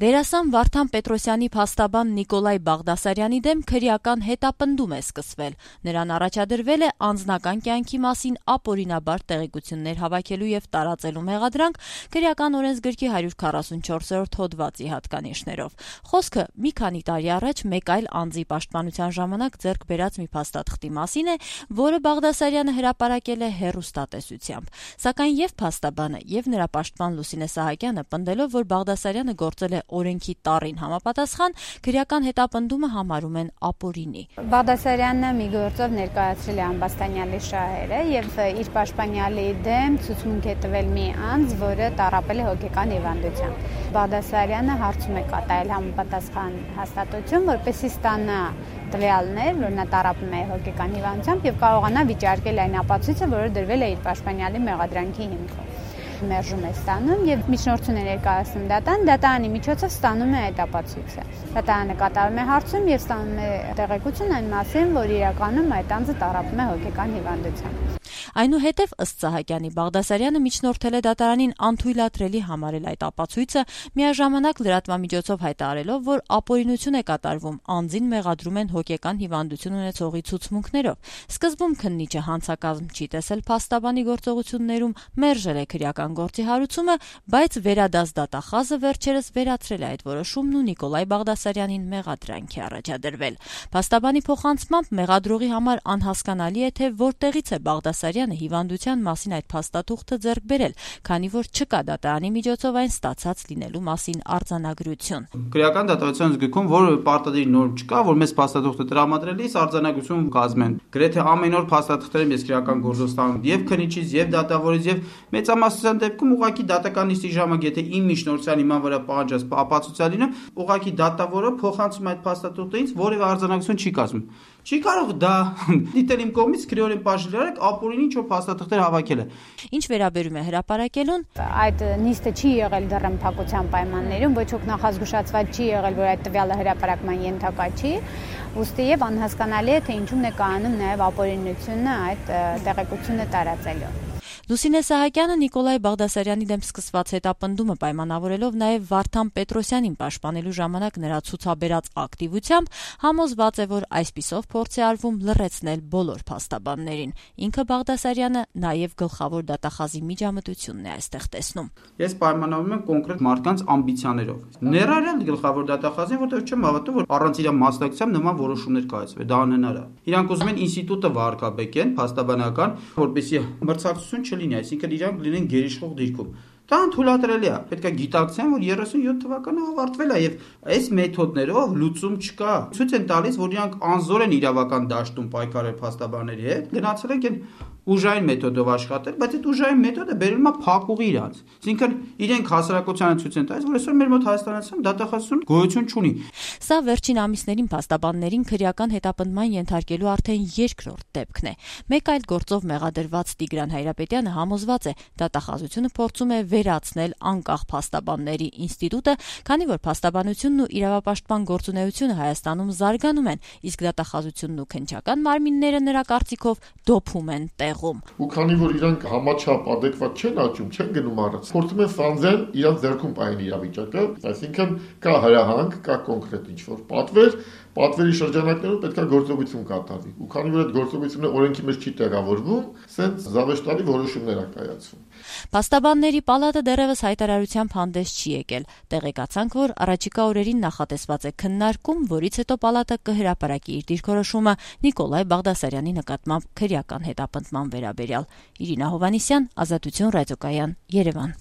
Դերասան Վարդան Պետրոսյանի փաստաբան Նիկոլայ Բաղդասարյանի դեմ քրեական հետապնդում է սկսվել։ Նրան առաջադրվել է անձնական կյանքի մասին ապօրինաբար տեղեկություններ հավաքելու եւ տարածելու մեղադրանք քրեական օրենսգրքի 144-րդ հոդվածի հատկանիշներով։ Խոսքը մի քանի տարի առաջ մեկ այլ անձի պաշտպանության ժամանակ ձեռք բերած մի փաստաթղթի մասին է, որը Բաղդասարյանը հրապարակել է հեռուստատեսությամբ։ Սակայն եւ փաստաբանը եւ նրա պաշտպան Լուսինե Սահակյանը պնդելով, որ Բաղդասարյանը գործել է օրենքի տառին համապատասխան, քրեական հետապնդումը համարում են ապօրինի։ Բաղդասարյանը մի գործով ներկայացրել է ամբաստանյալի շահերը եւ իր պաշտպանյալի դեմ ցուցմունք է տվել մի անձ, որը տառապել է հոգեկան հիվանդությամբ։ Բաղդասարյանը հարցում է կատարել համապատասխան հաստատություն, որպեսզի ստանա տվյալներ, որ նա տառապում է հոգեկան հիվանդությամբ եւ կարողանա վիճարկել այն ապացույցը, որը դրվել է իր պաշտպանյալի մեղադրանքի հիմքով։ Մերժում է ստանում եւ միջնորդություն է ներկայացնում դատարանի միջոցով ստանում է այդ ապացույցը։ Դատարանը կատարում է հարցում եւ ստանում է տեղեկություն այն մասին, որ իրականում այդ անձը տառապում է հոգեկան հիվանդությամբ։ Այնուհետև ըստ Սահակյանի Բաղդասարյանը միջնորդել է դատարանին անթույլատրելի համարել այդ ապացույցը, միաժամանակ լրատվամիջոցով հայտարարելով, որ ապօրինություն է կատարվում, անձին մեղադրում են հոգեկան հիվանդություն ունեցողի ցուցմունքներով։ Սկզբում քննիչը հանցակազմ չի տեսել փաստաբանի գործողություններում, մերժել է քրեական գործի հարուցումը, բայց վերադաս դատախազը վերջերս վերացրել է այդ որոշումն ու Նիկոլայ Բաղդասարյանին մեղադրանք է առաջադրվել։ Փաստաբանի փոխանցմամբ մեղադրողի համար անհասկանալի է, թե որտեղից է Բաղդասարյանը հիվանդության մասին այդ փաստաթուղթը ձեռք բերել, քանի որ չկա դատարանի միջոցով այն ստացած լինելու մասին արձանագրություն։ Քրեական դատավարության զգույքում, որ պարտադիր նորմ չկա, որ մեզ փաստաթուղթը տրամադրելիս արձանագրություն կազմեն։ Գրեթե ամեն օր փաստաթղթերը մեզ քրեական գործով ստանում եւ քննիչից, եւ դատավորից, եւ մեծամասնության դեպքում ուղղակի դատական նիստի ժամանակ, եթե իմ միջնորդության իման վրա պահանջած ապացույցը լինում, ուղղակի դատավորը փոխանցում այդ փաստաթուղթը ինձ, որևէ արձանագրություն չի կազմում։ Չի կարող դա դիտել իմ կողմից քրեորեն բաժանել ապօրինի ինչ-որ փաստաթղթեր հավաքել է։ Ինչ վերաբերում է հրապարակելուն, այդ նիստը չի եղել դեռ փակության պայմաններում, ոչ ոք նախազգուշացված չի եղել, որ այդ տվյալը հրապարակման ենթակա չի, ուստի եւ անհասկանալի է, թե ինչու՞մն է կայանում նաեւ ապօրինությունը այդ տեղեկությունը տարածելու։ Լուսինե Սահակյանը Նիկոլայ Բաղդասարյանի դեմ սկսված հետապնդումը պայմանավորելով նաև Վարդան Պետրոսյանին պաշտպանելու ժամանակ նրա ցուցաբերած ակտիվությամբ համոզված է, որ այսպիսով փորձ է արվում լռեցնել բոլոր փաստաբաններին։ Ինքը Բաղդասարյանը նաև գլխավոր դատախազի միջամտությունն է այստեղ տեսնում։ Ես պայմանավորում եմ կոնկրետ մարդկանց ամբիցիաներով։ Ներառյալ գլխավոր դատախազին, որտեղ չեմ հավատում, որ առանց իր մասնակցությամբ նման որոշումներ կայացվեն։ Դա անհնար է։ Իրանք ուզում են ինստիտուտը վարկաբեկեն, փաստաբանական, որպեսզի մրցակցություն չլինի, այսինքն իրանք լինեն գերիշխող դիրքում։ Դա անթույլատրելի է։ Պետք է գիտակցեն, որ 37 թվականը ավարտվել է եւ այս մեթոդներով լուծում չկա։ Ցույց են տալիս, որ իրանք անզոր են իրավական դաշտում պայքարել փաստաբանների հետ, գնացել են ուժային մեթոդով աշխատել, բայց այդ ուժային մեթոդը բերում է փակուղի իրանց։ Այսինքն իրենք հասարակությանը ցույց են տալիս, որ այսօր մեր մոտ Հայաստանացիում դատախազություն գոյություն չունի։ Սա վերջին ամիսներին փաստաբաններին քրեական հետապնդման ենթարկելու արդեն երկրորդ դեպքն է։ Մեկ այլ գործով մեղադրված Տիգրան Հայրապետյանը համոզված է, դատախազությունը փորձում է վերացնել անկախ փաստաբանների ինստիտուտը, քանի որ փաստաբանությունն ու իրավապաշտպան գործունեությունը Հայաստանում զարգանում են, իսկ դատախազությունն ու քննչական մարմինները նրա կարծիքով դոփում են տեղում։ Ու քանի որ իրանք համաչափ adekvat չեն աճում, չեն գնում առաջ, փորձում են ֆանձել իրանք ձեռքում պահել իրավիճակը, այսինքն կա հրահանգ, կա կոնկրետ ինչ-որ պատվերի շրջանակներում պետք է գործողություն կատարվի։ Ու քանի որ այդ գործողությունը օրենքի մեջ չի տեղավորվում, սենց զավեշտալի որոշումներ է կայացվում։ Փաստաբանների պալատը դեռևս հայտարարությամբ հանդես չի եկել։ Տեղեկացանք, որ առաջիկա օրերին նախատեսված է քննարկում, որից հետո պալատը կհրապարակի իր դիրքորոշումը Նիկոլայ Բաղդասարյանի նկատմամբ քրեական հետապնդման վերաբերյալ։ Իրինա Հովհաննիսյան, Ազատություն ռադիոկայան, Երևան։